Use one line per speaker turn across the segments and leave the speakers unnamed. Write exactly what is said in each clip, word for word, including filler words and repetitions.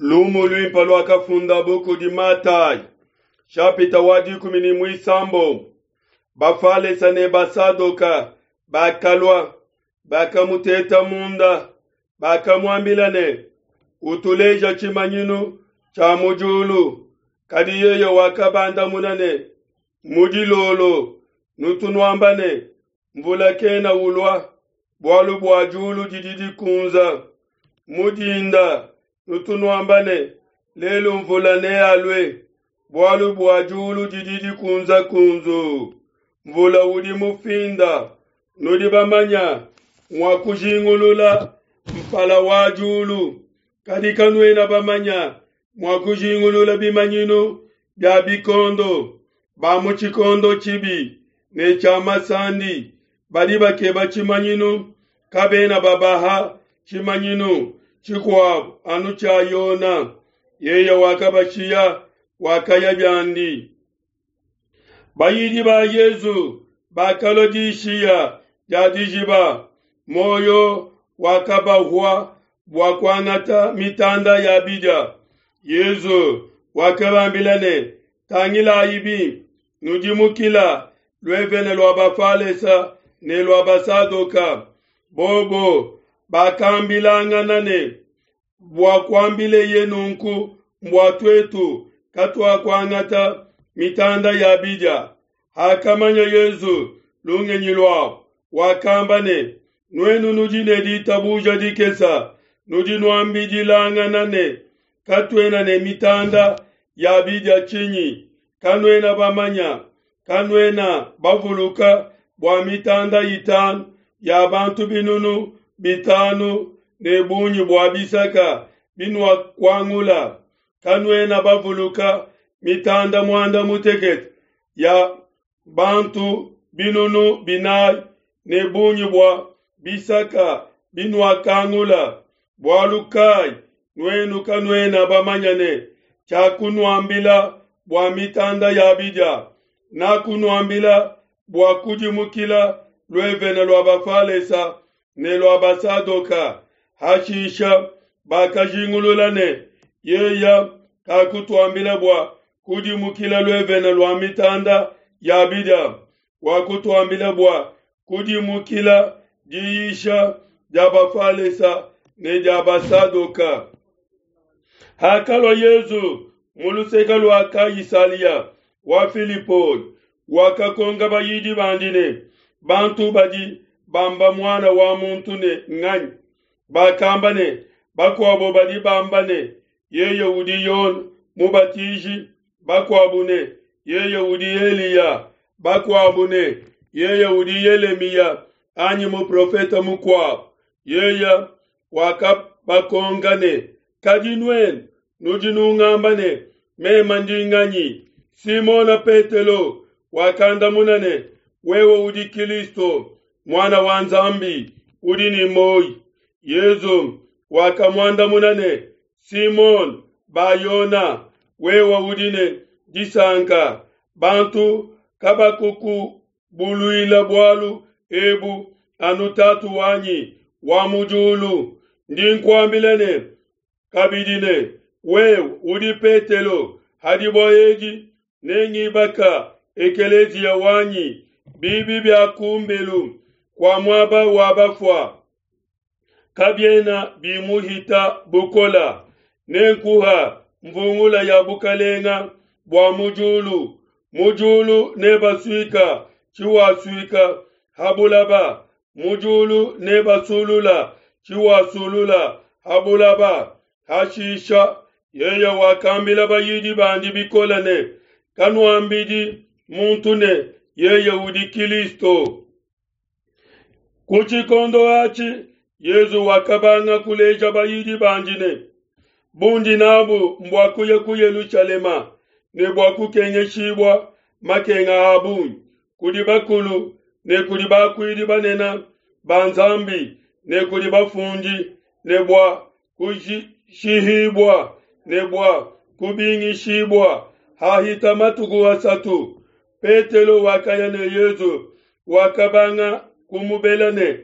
Lumu luimpe luakafundabo kudi Matayi, nshapita wa dikumi ne muisambombo. Bafalesa ne Basadoka bakalua, bakamuteta munda, bakamuambila ne, Utuleja tshimanyinu tshia mu diulu. Kadi yeye wakabandamuna ne, Mu dilolo nutu nuamba ne, Mvula kena ulua, bualu bua diulu didi dikunza. Mu dinda nutu nuamba ne, Lelu mvula nealue, bualu bua diulu didi dikunza-kunzuu, mvula udi mufinda. Nudi bamanya mua kujingulula mpala wa diulu, kadi kanuena bamanya mua kujingulula bimanyinu bia bikondo. Ba mu tshikondo tshibi ne tshia masandi badi bakeba tshimanyinu, kabena babaha tshimanyinu tshikuabo anu tshia Yona. Yeye wakabashiya, wakaya biandi. Bayidi ba Yezu bakalua dishiya dia dijiba, muoyo wakabahua bua kuangata mitanda ya bidia. Yezu wakabambila ne, Tangilayi bimpe, nudimukila luevene lua Bafalesa ne lua Basadoka. Bobo bakambilangana ne, Bua kuambileye nunku mbua tuetu katuakuangata mitanda ya bidia. Hakamanya Yezu lungenyi luabo, wakamba ne, Nuenu nudi ne ditabuja dikese, nudi nuambidilangana ne, Katuena ne mitanda ya bidia tshinyi? Kanuena bamanya, kanuena bavuluka bua mitanda itanu ya bantu binunu bitanu ne bungi bua bisaka binuakuangula? Kanuena bavuluka mitanda muanda mutekete ya bantu binunu binayi ne bungi bua bisaka binuakangula? Bualu kai nuenu kanuena bamanya ne tshiakunuambila bua mitanda ya bidia? Nakunuambila bua kudimukila luevene lua Bafalesa ne lua Basadoka. Hashisha bakajingulula ne, yeye kakutuambila bua kudimukila luevene lua mitanda ya bidia, wakutuambila bua kudimukila diyisha dia Bafalesa ne dia Basadoka. Hakalua Yezu mu luseke lua Kaisalia wa Filipoi, wakakonka bayidi bandi ne, Bantu badi bamba Muana wa muntu ne nganyi? Bakamba ne, Bakuabo badi bamba ne, Yeye udi Yone Mubatiji, bakuabo ne, Yeye udi Eliya, bakuabo ne, Yeye udi Yelemiya anyi muprofete mukuabo. Yeye wakabakonka ne, Kadi nuenu nudi nungamba ne, Meme ndi nganyi? Simona Petelo wakandamuna ne, Wewe udi Kilisto, Muana wa Nzambi, udi ne muoyo. Yezu wakamuandamuna ne, Simone Bayona, wewe udi ne disanka, bantu kabakukubuluila bualu ebu, anu Tatu wanyi wa mu diulu. Ndi nkuambila ne kabidi ne, wewe udi Petelo, ha dibue edi nengibaka ekeleziya wanyi, bibi bia kumbelu kua muaba wa bafua kabiena bimuhita bukola. Nenkuha mvungula ya bukalenga bua mu diulu. Mu diulu nebasuika tshiwasuika ha bulaba, mu diulu nebasulula tshiwasulula ha bulaba. Hashisha yeye wakambila bayidi bandi bikole ne, Kanuambidi muntu ne, Yeye udi Kilisto. Ku tshikondo atshi Yezu wakabanga kuleja bayidi bandi ne, Bundi nabu mbua kuya ku Yelushalema ne bua kukengeshibua makenga a bungi kudi bakulu ne kudi bakuidi banene ba Nzambi ne kudi bafundi, ne bua kushihibua ne bua kubingishibua hahita matuku asatu. Petelo wakaya ne Yezu, wakabanga kumubela ne,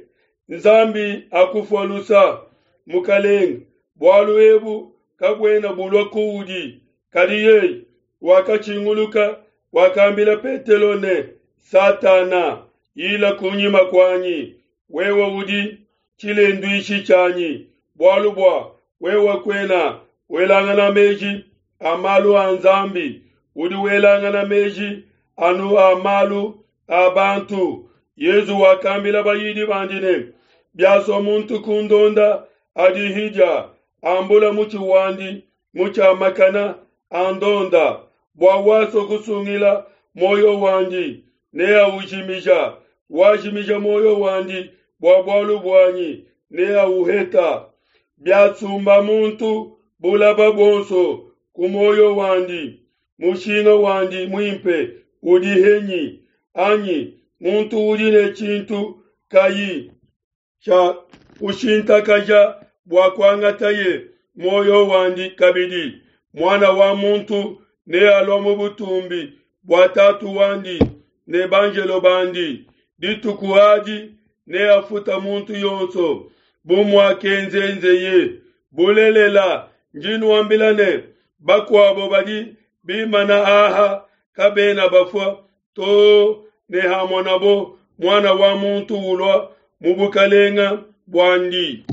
Nzambi akufua lusa, Mukalenge, bualu ebu kabuena bulua kuudi. Kadi yeye wakatshinguluka, wakambila Petelo ne, Satana, yila kunyima kuanyi, wewe udi tshilenduishi tshianyi, bualu bua wewe kuena welangana meji a malu a Nzambi, udi welangana meji anu a malu a bantu. Yezu wakambila bayidi bandi ne, Biasua muntu kundonda, adihidia, ambula mutshi wandi mutshiamakana, andonda. Bua wasua kusungila muoyo wandi neaujimija, wajimija muoyo wandi bua bualu buanyi neauheta. Biasumba muntu bulaba buonso ku muoyo wandi, mushinga wandi muimpe udi henyi? Anyi muntu udi ne tshintu kayi tshia kushintakaja bua kuangataye muoyo wandi kabidi? Muana wa muntu nealua mu butumbi bua Tatu wandi ne banjelo bandi. Dituku adi neafuta muntu yonso bu muakenzenzeye. Bulelela, ndi nuambila ne, bakuabo badi bimana aha kabena bafua too ne hamonabo Muana wa muntu ulua mu bukalenga buandi.